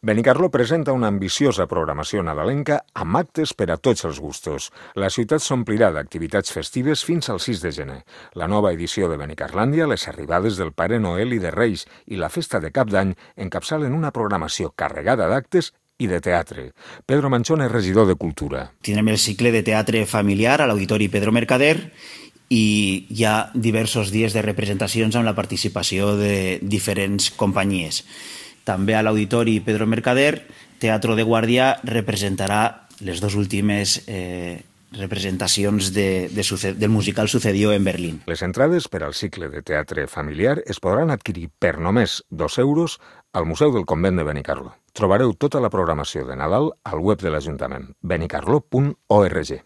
Benicarló presenta una ambiciosa programació nadalenca amb actes per a tots els gustos. La ciutat s'omplirà d'activitats festives fins al 6 de gener. La nova edició de Benicarlàndia, les arribades del Pare Noel i de Reis i la festa de Cap d'Any encapçalen una programació carregada d'actes i de teatre. Pedro Manchón és regidor de Cultura. Tindrem el cicle de teatre familiar a l'Auditori Pedro Mercader i hi ha diversos dies de representacions amb la participació de diferents companyies. També a l'Auditori Pedro Mercader, Teatro de Guàrdia representarà les dues últimes representacions del musical Sucedió en Berlín. Les entrades per al cicle de teatre familiar es podran adquirir per només 2 euros al Museu del Convent de Benicarló. Trobareu tota la programació de Nadal al web de l'Ajuntament, benicarló.org.